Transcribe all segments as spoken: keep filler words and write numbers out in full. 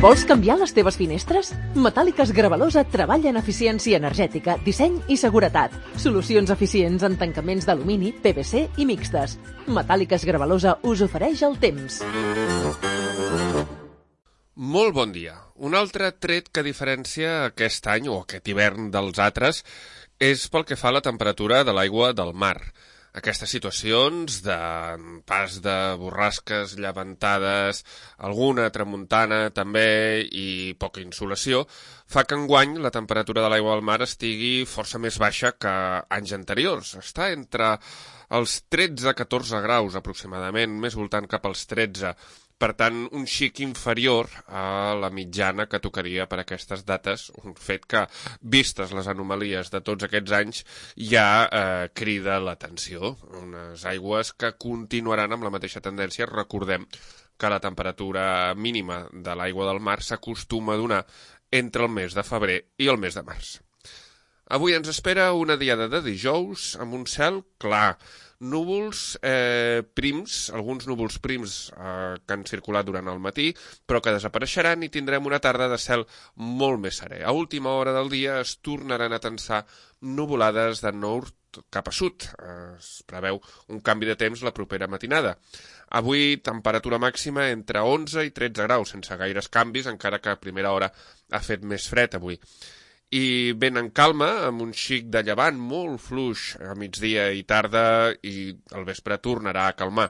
Vols canviar les teves finestres? Metàl·liques Gravalosa treballa en eficiència energètica, disseny i seguretat. Solucions eficients en tancaments d'alumini, P V C i mixtes. Metàl·liques Gravalosa us ofereix el temps. Molt bon dia. Un altre tret que diferencia aquest any o aquest hivern dels altres és pel que fa a la temperatura de l'aigua del mar. Aquestes situacions de pas de borrasques, llevantades, alguna tramuntana també i poca insolació, fa que enguany la temperatura de l'aigua del mar estigui força més baixa que anys anteriors. Està entre els tretze a catorze graus aproximadament, més voltant cap als tretze. Per tant, un xic inferior a la mitjana que tocaria per aquestes dates, un fet que, vistes les anomalies de tots aquests anys, ja eh, crida l'atenció. Unes aigües que continuaran amb la mateixa tendència. Recordem que la temperatura mínima de l'aigua del mar s'acostuma a donar entre el mes de febrer i el mes de març. Avui ens espera una diada de dijous amb un cel clar, núvols eh, prims, alguns núvols prims eh, que han circulat durant el matí, però que desapareixeran i tindrem una tarda de cel molt més serè. A última hora del dia es tornaran a tensar nuvolades de nord cap a sud. Es preveu un canvi de temps la propera matinada. Avui, temperatura màxima entre onze i tretze graus, sense gaires canvis, encara que a primera hora ha fet més fred avui. I ben en calma, amb un xic de llevant molt fluix a migdia i tarda, i al vespre tornarà a calmar.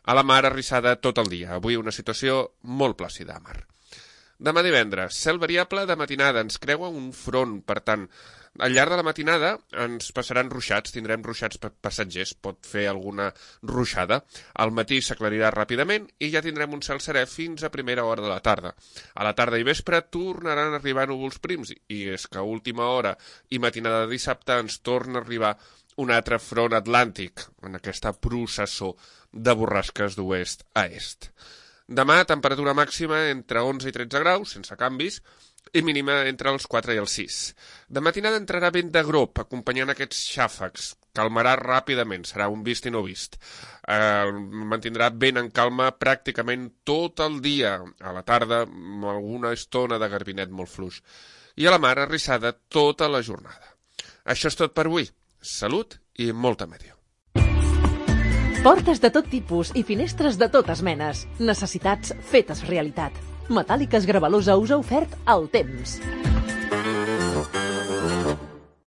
A la mar arrissada tot el dia. Avui una situació molt plàcida a mar. Demà divendres, cel variable de matinada, ens creua un front, per tant, al llarg de la matinada ens passaran ruixats, tindrem ruixats passatgers, pot fer alguna ruixada. Al matí s'aclarirà ràpidament i ja tindrem un cel serè fins a primera hora de la tarda. A la tarda i vespre tornaran a arribar núvols prims i és que a última hora i matinada de dissabte ens torna a arribar un altre front atlàntic en aquesta processó de borrasques d'oest a est. Demà, temperatura màxima entre onze i tretze graus, sense canvis, i mínima entre els quatre i els sis. De matinada entrarà vent de grop, acompanyant aquests xàfecs. Calmarà ràpidament, serà un vist i no vist. Eh, mantindrà vent en calma pràcticament tot el dia. A la tarda, amb alguna estona de garbinet molt fluix. I a la mar, arrissada tota la jornada. Això és tot per avui. Salut i molta medió. Portes de tot tipus i finestres de totes menes. Necessitats fetes realitat. Metàl·liques Gravalosa us ha ofert el temps.